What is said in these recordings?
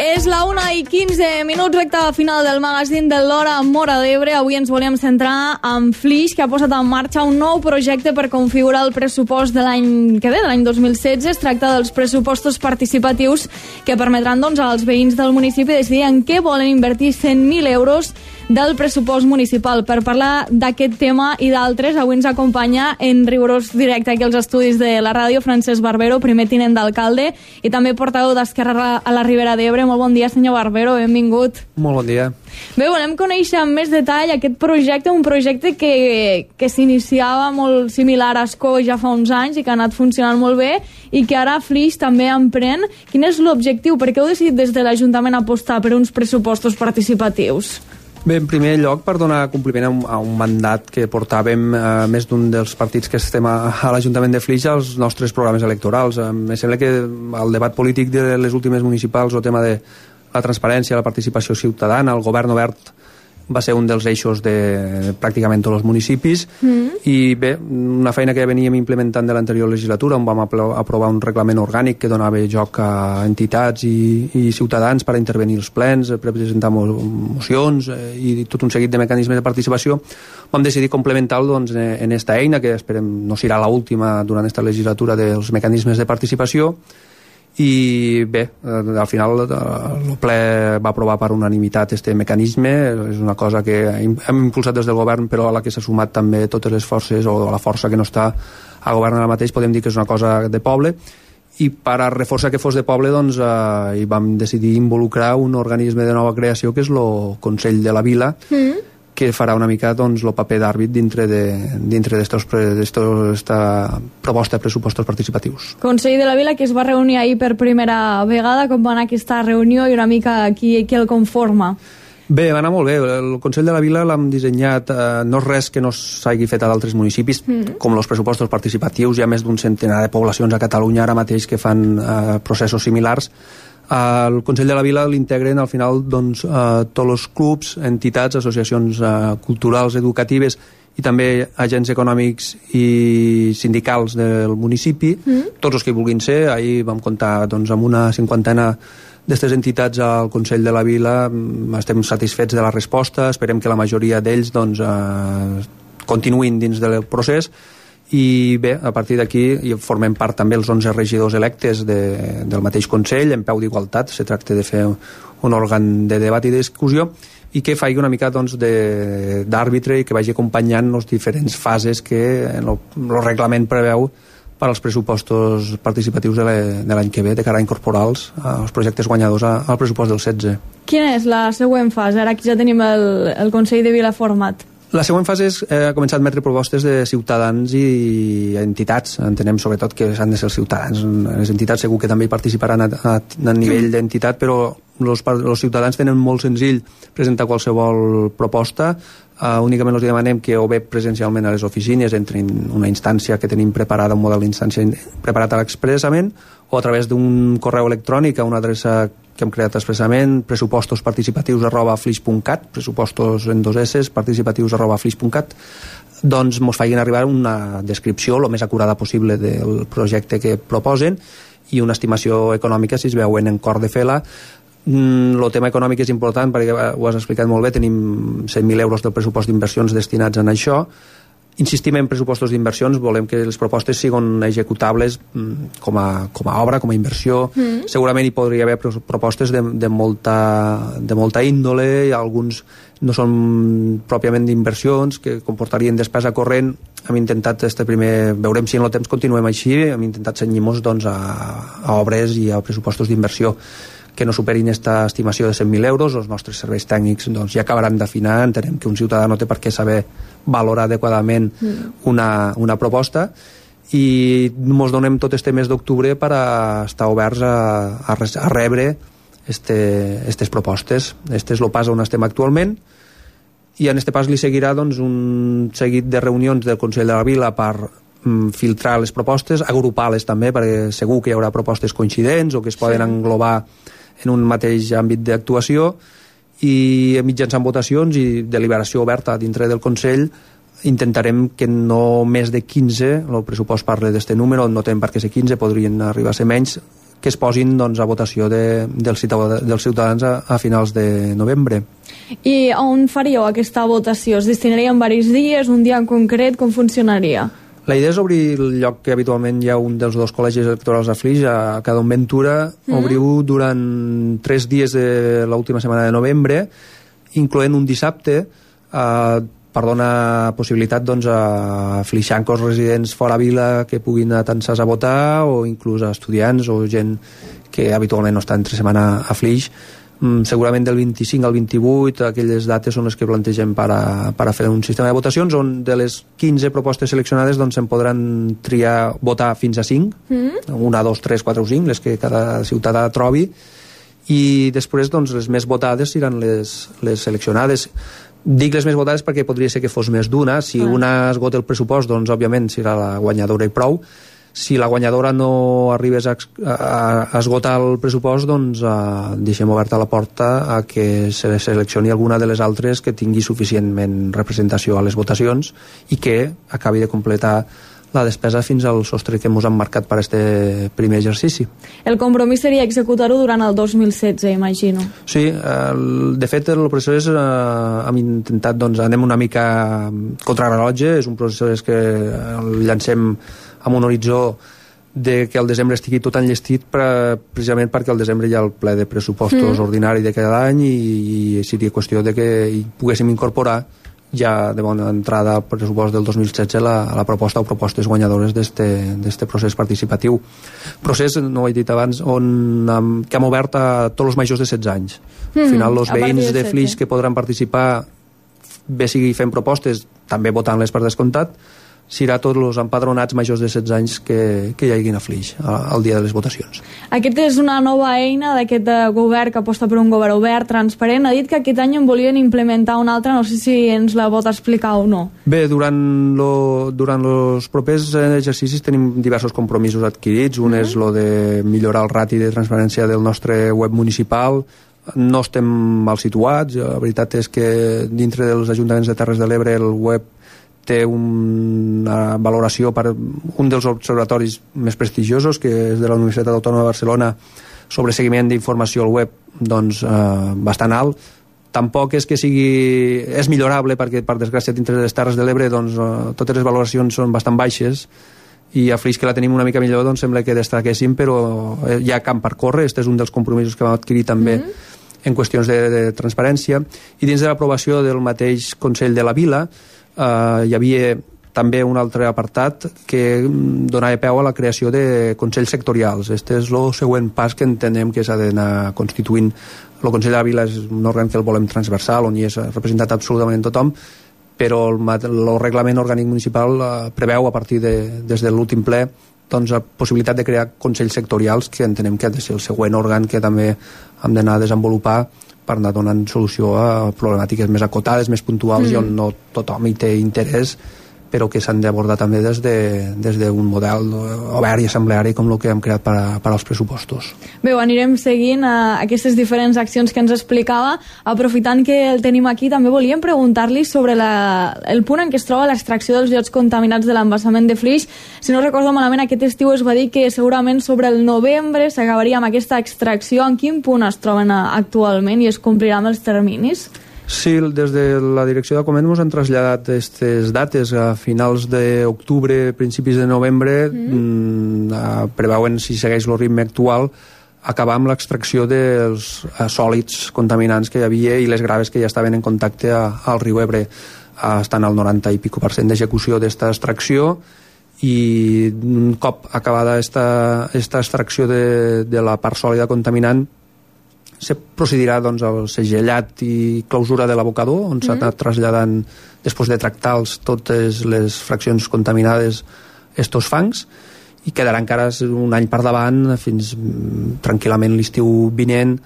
És la 1:15, recta final del magazín de l'Hora Móra d'Ebre. Avui ens volíem centrar en Flix, que ha posat en marxa un nou projecte per configurar el pressupost de l'any que ve, de l'any 2016. Es tracta dels pressupostos participatius que permetran als veïns del municipi decidir en què volen invertir 100.000 euros del pressupost municipal. Per parlar d'aquest tema i d'altres, avui ens acompanya en rigorós directe aquí als estudis de la ràdio Francesc Barbero, primer tinent d'alcalde i també portaveu d'Esquerra a la Ribera d'Ebre. Molt bon dia, senyor Barbero, benvingut. Molt bon dia. Bé, volem conèixer amb més detall aquest projecte, un projecte que s'iniciava molt similar a Escó ja fa uns anys i que ha anat funcionant molt bé i que ara Flix també emprèn. Quin és l'objectiu? Per què heu decidit des de l'Ajuntament apostar per uns pressupostos participatius? Bé, en primer lloc, per donar compliment a un mandat que portàvem més d'un dels partits que estem a l'Ajuntament de Flix als nostres programes electorals. Em sembla que el debat polític de les últimes municipals, el tema de la transparència, la participació ciutadana, el govern obert, va ser un dels eixos de pràcticament tots els municipis. I bé, una feina que ja veníem implementant de l'anterior legislatura, on vam aprovar un reglament orgànic que donava joc a entitats i ciutadans per intervenir als plens, per presentar mocions i tot un seguit de mecanismes de participació. Vam decidir complementar-lo en aquesta eina, que esperem no serà l'última durant aquesta legislatura dels mecanismes de participació. I bé, al final el ple va aprovar per unanimitat este mecanisme. És una cosa que hem impulsat des del govern, però a la que s'ha sumat també totes les forces, o la força que no està a govern ara mateix. Podem dir que és una cosa de poble, i per a reforçar que fos de poble hi vam decidir involucrar un organisme de nova creació que és el Consell de la Vila, que farà una mica el paper d'àrbit dintre d'esta proposta de pressupostos participatius. Consell de la Vila, que es va reunir ahir per primera vegada. Com va anar aquesta reunió i una mica qui el conforma? Bé, va anar molt bé. El Consell de la Vila l'hem dissenyat, no és res que no s'hagi fet a d'altres municipis, com els pressupostos participatius. Hi ha més d'un centenar de poblacions a Catalunya ara mateix que fan processos similars. El Consell de la Vila l'integren al final tots els clubs, entitats, associacions culturals, educatives i també agents econòmics i sindicals del municipi, tots els que vulguin ser. Ahir vam comptar amb una 50ena d'aquestes entitats al Consell de la Vila. Estem satisfets de la resposta, esperem que la majoria d'ells continuïn dins del procés. I bé, a partir d'aquí formem part també els 11 regidors electes del mateix Consell, en peu d'igualtat. Se tracta de fer un òrgan de debat i de discussió i que faci una mica d'àrbitre i que vagi acompanyant les diferents fases que el reglament preveu per als pressupostos participatius de l'any que ve, de cara a incorporar els projectes guanyadors al pressupost del 16. Quina és la següent fase, ara que ja tenim el Consell de Vila format? La següent fase és començar a admetre propostes de ciutadans i entitats. Entenem sobretot que s'han de ser els ciutadans. Les entitats segur que també hi participaran a nivell d'entitat, però els ciutadans tenen molt senzill presentar qualsevol proposta. Únicament els demanem que o bé presencialment a les oficines entrin una instància que tenim preparada, un model d'instància preparat expressament, o a través d'un correu electrònic a una adreça que hem creat expressament, pressupostos@flix.cat, pressupostos en 2 S, participatius@flix.cat, doncs mos facin arribar una descripció el més acurada possible del projecte que proposen i una estimació econòmica si es veuen en cor de fer-la. El tema econòmic és important perquè ho has explicat molt bé, tenim 100.000 euros del pressupost d'inversions destinats en això. Insistim en pressupostos d'inversions, volem que les propostes siguin executables com a obra, com a inversió. Segurament hi podria haver propostes de molta índole, i alguns no són pròpiament d'inversions, que comportarien despesa corrent. Hem intentat veurem si en el temps continuem així, hem intentat cenyir-nos a obres i a pressupostos d'inversió que no superin aquesta estimació de 100.000 euros. Els nostres serveis tècnics ja acabaran d'afinar. Entenem que un ciutadà no té per què saber valorar adequadament una proposta, i ens donem tot este mes d'octubre per estar oberts a rebre aquestes propostes. Este és el pas on estem actualment, i en aquest pas li seguirà un seguit de reunions del Consell de la Vila per filtrar les propostes, agrupar-les també, perquè segur que hi haurà propostes coincidents o que es poden englobar en un mateix àmbit d'actuació, i mitjançant votacions i deliberació oberta dintre del Consell intentarem que no més de 15, el pressupost parla d'aquest número, no tenen per què ser 15, podrien arribar a ser menys, que es posin doncs, a votació dels ciutadans a finals de novembre. I on faríeu aquesta votació? Es destinaria en diversos dies, un dia en concret, com funcionaria? La idea és obrir el lloc que habitualment hi ha un dels dos col·legis electorals a Flix, a Cadon Ventura, obriu durant 3 dies de l'última setmana de novembre, incloent un dissabte, per donar possibilitat doncs, a flixancos residents fora vila que puguin anar tan sols a votar, o inclús a estudiants o gent que habitualment no està entre setmana a Flix. Segurament del 25 al 28 aquelles dates són les que plantegem per a fer un sistema de votacions on de les 15 propostes seleccionades doncs se'n podran triar votar fins a 5, 1, 2, 3, 4 o 5, les que cada ciutadà trobi, i després doncs, les més votades seran les seleccionades. Dic les més votades perquè podria ser que fos més d'una. Si una esgota el pressupost, doncs òbviament serà la guanyadora i prou. Si la guanyadora no arribés a esgotar el pressupost, doncs deixem oberta la porta a que se seleccioni alguna de les altres que tingui suficientment representació a les votacions i que acabi de completar la despesa fins al sostre que ens han marcat per aquest primer exercici. El compromís seria executar-ho durant el 2016, imagino. Sí, de fet el procés hem intentat, doncs anem una mica contrarrellotge, és un procés que el llancem amb un horitzó de que el desembre estigui tot enllestit precisament perquè al desembre hi ha el ple de pressupostos ordinari de cada any i seria qüestió de que hi poguéssim incorporar ja de bona entrada al pressupost del 2016 la proposta o propostes guanyadores d'este procés participatiu. Procés, no ho he dit abans, que hem obert a tots els majors de 16 anys. Al final, els veïns de Flix que podran participar, bé sigui fent propostes, també votant-les per descomptat, serà tots els empadronats majors de 16 anys que hi haguin a Flix al dia de les votacions. Aquest és una nova eina d'aquest govern que aposta per un govern obert, transparent. Ha dit que aquest any en volien implementar una altra, no sé si ens la pot explicar o no. Bé, durant els propers exercicis tenim diversos compromisos adquirits. Un és el de millorar el rati de transparència del nostre web municipal. No estem mal situats. La veritat és que dintre dels ajuntaments de Terres de l'Ebre el web té una valoració per un dels observatoris més prestigiosos, que és de la Universitat Autònoma de Barcelona, sobre seguiment d'informació al web, doncs bastant alt. Tampoc és que sigui... és millorable, perquè per desgràcia dintre de les Terres de l'Ebre doncs, totes les valoracions són bastant baixes, i a Flix, que la tenim una mica millor, doncs sembla que destaquéssim, però hi ha camp per córrer. Este és un dels compromisos que vam adquirir també en qüestions de transparència. I dins de l'aprovació del mateix Consell de la Vila hi havia també un altre apartat que donava peu a la creació de consells sectorials. Este és el següent pas que entenem que s'ha d'anar constituint. El Consell de la Vila és un òrgan que el volem transversal, on hi és representat absolutament tothom, però el reglament orgànic municipal preveu a partir des de l'últim ple doncs, la possibilitat de crear consells sectorials, que entenem que ha de ser el següent òrgan que també hem d'anar a desenvolupar per anar donant solució a problemàtiques més acotades, més puntuals i on no tothom hi té interès, però que s'han d'abordar també des d'un model obert i assembleari com el que hem creat per als pressupostos. Bé, anirem seguint aquestes diferents accions que ens explicava. Aprofitant que el tenim aquí, també volíem preguntar-li sobre el punt en què es troba l'extracció dels llots contaminats de l'embassament de Flix. Si no recordo malament, aquest estiu es va dir que segurament sobre el novembre s'acabaria amb aquesta extracció. En quin punt es troben actualment i es compliran els terminis? Sí, des de la direcció de Coment ens han traslladat aquestes dates a finals d'octubre, principis de novembre. Preveuen, si segueix el ritme actual, acabar amb l'extracció dels sòlids contaminants que hi havia i les graves que ja estaven en contacte al riu Ebre. Estan al 90 i pico % d'execució d'esta extracció, i un cop acabada esta extracció de la part sòlida contaminant, se procedirà doncs, al segellat i clausura de l'abocador, on s'ha anat traslladant, després de tractar totes les fraccions contaminades, estos fangs, i quedarà encara un any per davant, fins tranquil·lament l'estiu vinent,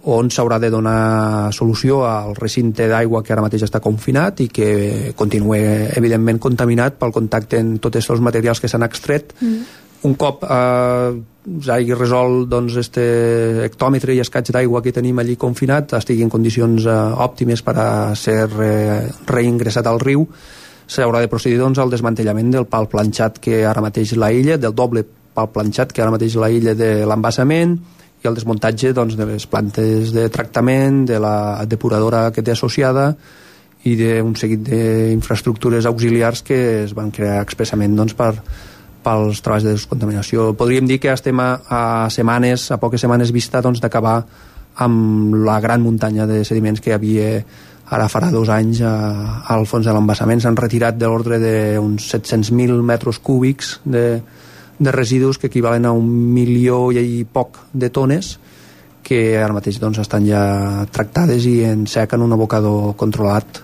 on s'haurà de donar solució al recinte d'aigua que ara mateix està confinat i que continua evidentment contaminat pel contacte amb tots els materials que s'han extret. Un cop s'hagi resolt doncs, este hectòmetre i escaig d'aigua que tenim allí confinat estigui en condicions òptimes per a ser reingressat al riu, s'haurà de procedir doncs, al desmantellament del pal planxat que ara mateix la illa, del doble pal planxat que ara mateix la illa de l'embassament, i el desmuntatge doncs, de les plantes de tractament, de la depuradora que té associada i d'un seguit d'infraestructures auxiliars que es van crear expressament doncs, pels treballs de descontaminació. Podríem dir que estem a poques setmanes vista doncs, d'acabar amb la gran muntanya de sediments que hi havia ara farà 2 anys al fons de l'embassament. S'han retirat de l'ordre d'uns 700.000 metres cúbics de residus que equivalen a 1 milió i poc de tones que ara mateix doncs, estan ja tractades i en sec en un abocador controlat.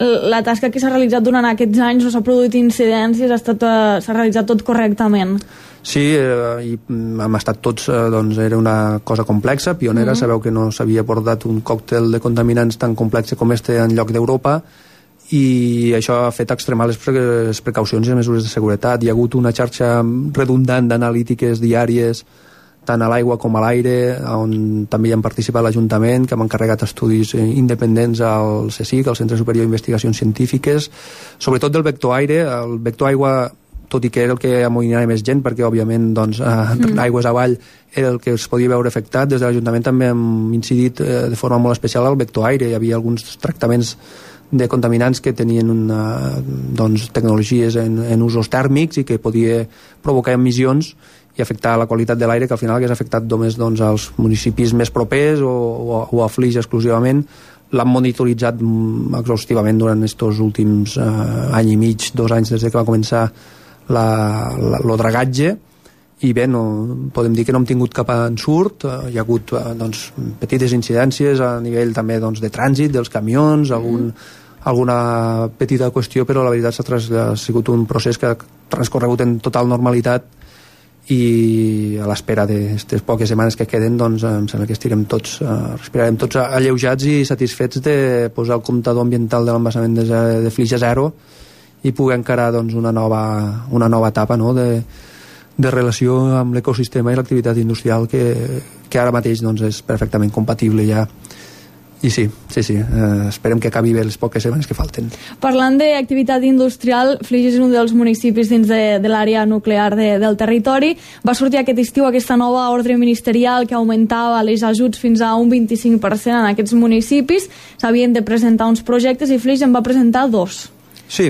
La tasca que s'ha realitzat durant aquests anys, no s'ha produït incidències, s'ha realitzat tot correctament? Sí, i hem estat tots, doncs era una cosa complexa, pionera. Sabeu que no s'havia abordat un còctel de contaminants tan complex com este en lloc d'Europa, i això ha fet extremar les precaucions i les mesures de seguretat. Hi ha hagut una xarxa redundant d'analítiques diàries tant a l'aigua com a l'aire, on també hi han participat l'Ajuntament, que hem encarregat estudis independents al CSIC, al Centre Superior d'Investigacions Científiques, sobretot del vector aire. El vector aigua, tot i que era el que amoïnava més gent, perquè òbviament doncs, aigües avall era el que es podia veure afectat, des de l'Ajuntament també hem incidit de forma molt especial al vector aire. Hi havia alguns tractaments de contaminants que tenien doncs, tecnologies en usos tèrmics i que podia provocar emissions i afectar la qualitat de l'aire, que al final hagués afectat només doncs, als municipis més propers o a Flix exclusivament. L'han monitoritzat exhaustivament durant aquests últims any i mig, 2 anys des que va començar el dragatge, i bé, podem dir que no hem tingut cap ensurt. Hi ha hagut doncs, petites incidències a nivell també doncs, de trànsit dels camions, alguna petita qüestió, però la veritat ha sigut un procés que ha transcorregut en total normalitat, i a l'espera d'aquestes poques setmanes que queden doncs em sembla que respirarem tots alleujats i satisfets de posar el comptador ambiental de l'embassament de Flix a 0 i poder encarar doncs, una nova etapa, no?, de relació amb l'ecosistema i l'activitat industrial que ara mateix doncs, és perfectament compatible ja. I sí, esperem que acabi bé les poques setmanes que falten. Parlant d'activitat industrial, Flix és un dels municipis dins de l'àrea nuclear del territori. Va sortir aquest estiu aquesta nova ordre ministerial que augmentava les ajuts fins a un 25% en aquests municipis. S'havien de presentar uns projectes i Flix en va presentar 2. Sí,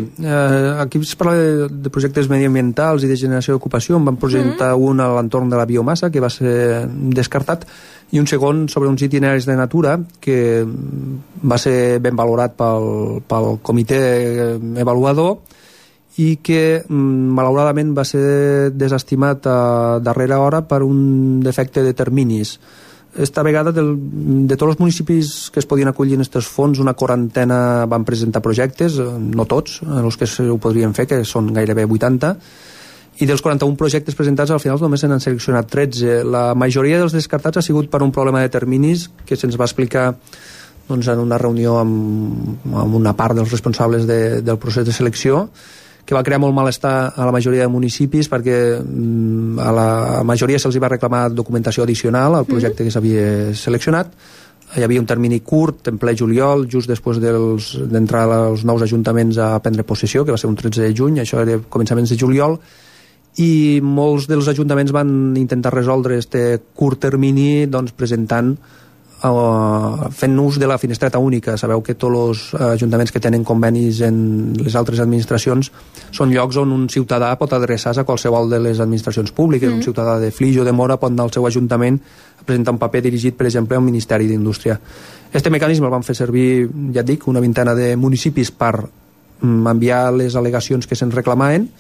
aquí es parla de projectes mediambientals i de generació d'ocupació. En van presentar un a l'entorn de la biomassa, que va ser descartat, i un segon sobre uns itineraris de natura, que va ser ben valorat pel comitè avaluador i que malauradament va ser desestimat a darrera hora per un defecte de terminis. Esta vegada de tots els municipis que es podien acollir en aquests fons, una 40 van presentar projectes, no tots, els que ho podrien fer, que són gairebé 80, i dels 41 projectes presentats al final només se n'han seleccionat 13. La majoria dels descartats ha sigut per un problema de terminis que se'ns va explicar doncs, en una reunió amb una part dels responsables del procés de selecció, que va crear molt malestar a la majoria de municipis perquè a la majoria se'ls va reclamar documentació addicional al projecte que s'havia seleccionat. Hi havia un termini curt, en ple juliol, just després d'entrar els nous ajuntaments a prendre possessió, que va ser un 13 de juny, això era començaments de juliol, i molts dels ajuntaments van intentar resoldre aquest curt termini doncs, fent ús de la finestreta única. Sabeu que tots els ajuntaments que tenen convenis en les altres administracions són llocs on un ciutadà pot adreçar-se a qualsevol de les administracions públiques. Un ciutadà de Flix o de Móra pot anar al seu ajuntament a presentar un paper dirigit, per exemple, al Ministeri d'Indústria. Este mecanisme el van fer servir, ja et dic, una vintena de municipis per enviar les al·legacions que se'ns reclamaven,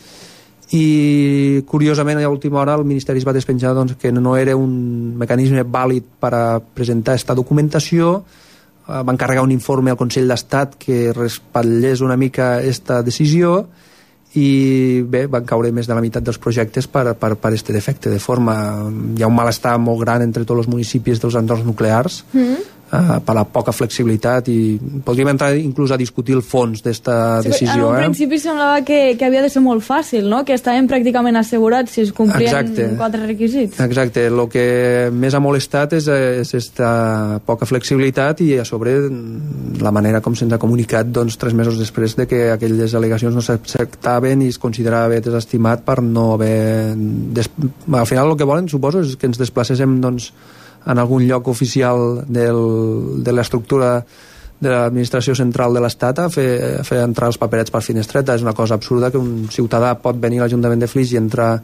i curiosament a l'última hora el Ministeri es va despenjar doncs, que no era un mecanisme vàlid per a presentar aquesta documentació. Va encarregar un informe al Consell d'Estat que respatllés una mica aquesta decisió, i bé, van caure més de la meitat dels projectes per este defecte de forma. Hi ha un malestar molt gran entre tots els municipis dels entorns nuclears, per la poca flexibilitat, i podríem entrar inclús a discutir el fons d'esta decisió. En un principi semblava que havia de ser molt fàcil, no? Que estaven pràcticament assegurats si es complien 4 requisits. Exacte, el que més ha molestat és aquesta poca flexibilitat i a sobre la manera com se'ns ha comunicat 3 mesos després de que aquelles al·legacions no s'acceptaven i es considerava desestimat per no haver... Al final el que volen, suposo, és que ens desplacéssim en algun lloc oficial de l'estructura de l'administració central de l'Estat a fer entrar els paperets per finestreta. És una cosa absurda que un ciutadà pot venir a l'Ajuntament de Flix i entrar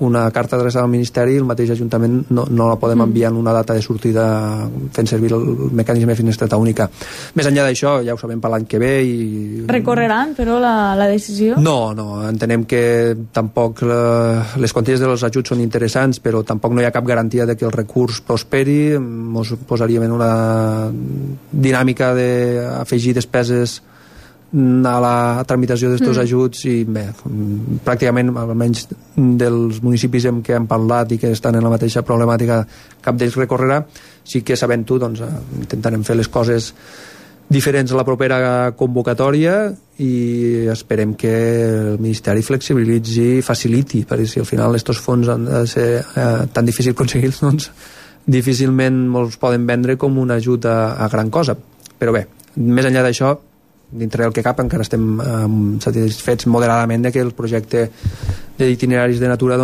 una carta adreçada al Ministeri i el mateix Ajuntament no la podem enviar en una data de sortida fent servir el mecanisme de finestreta única. Més enllà d'això, ja ho sabem per l'any que ve i... Recorreran, però, la decisió? No, entenem que tampoc les quanties dels ajuts són interessants, però tampoc no hi ha cap garantia de que el recurs prosperi. Ens posaríem en una dinàmica d'afegir despeses a la tramitació d'estos ajuts i bé, pràcticament almenys dels municipis amb què hem parlat i que estan en la mateixa problemàtica, cap d'ells recorrerà. Sí que sabent-ho, intentarem fer les coses diferents a la propera convocatòria i esperem que el Ministeri flexibilitzi i faciliti, perquè si al final estos fons han de ser tan difícil aconseguir-los, difícilment els poden vendre com un ajut a gran cosa. Però bé, més enllà d'això, dintre del que cap encara estem satisfets moderadament de que el projecte d'itineraris de natura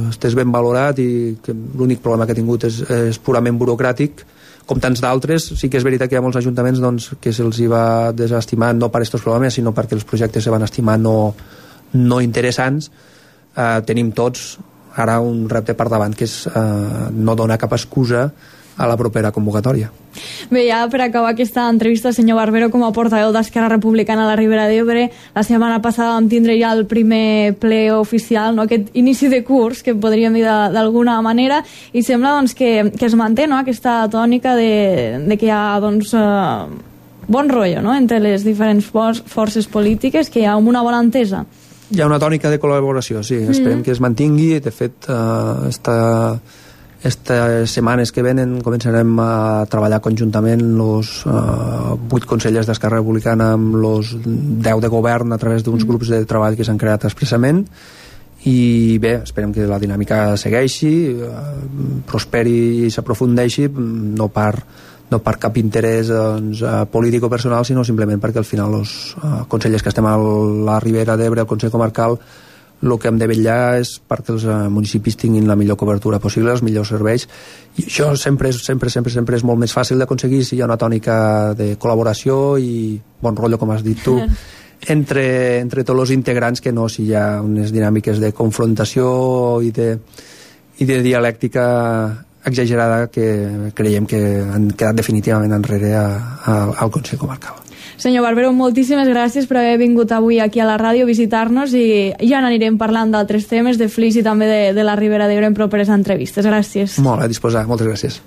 estés ben valorat i que l'únic problema que ha tingut és purament burocràtic, com tants d'altres. Sí que és veritat que hi ha molts ajuntaments que se'ls va desestimar no per aquests problemes, sinó perquè els projectes se van estimar no interessants. Tenim tots ara un repte per davant, que és no donar cap excusa a la propera convocatòria. Bé, ja per acabar aquesta entrevista, senyor Barbero, com a portaveu d'Esquerra Republicana a la Ribera d'Ebre, la setmana passada vam tindre ja el primer ple oficial, no? Aquest inici de curs, que podríem dir d'alguna manera, i sembla que es manté, no? Aquesta tònica de que hi ha bon rotllo, no? Entre les diferents forces polítiques, que hi ha una bona entesa. Hi ha una tònica de col·laboració, sí. Esperem que es mantingui. De fet, estas setmanes que venen començarem a treballar conjuntament els 8 consellers d'Esquerra Republicana amb els 10 de govern a través d'uns grups de treball que s'han creat expressament, i bé, esperem que la dinàmica segueixi, prosperi i s'aprofundeixi, no per cap interès polític o personal, sinó simplement perquè al final els consellers que estem a la Ribera d'Ebre, al Consell Comarcal, el que hem de vetllar és perquè els municipis tinguin la millor cobertura possible, els millors serveis, i això sempre és molt més fàcil d'aconseguir si hi ha una tònica de col·laboració i bon rotllo, com has dit tu, entre tots els integrants, que no si hi ha unes dinàmiques de confrontació i de dialèctica exagerada que creiem que han quedat definitivament enrere al Consell Comarcal. Senyor Barbero, moltíssimes gràcies per haver vingut avui aquí a la ràdio a visitar-nos, i ja n'anirem parlant d'altres temes, de Flix i també de la Ribera d'Ebre en properes entrevistes. Gràcies. Molt a disposar, moltes gràcies.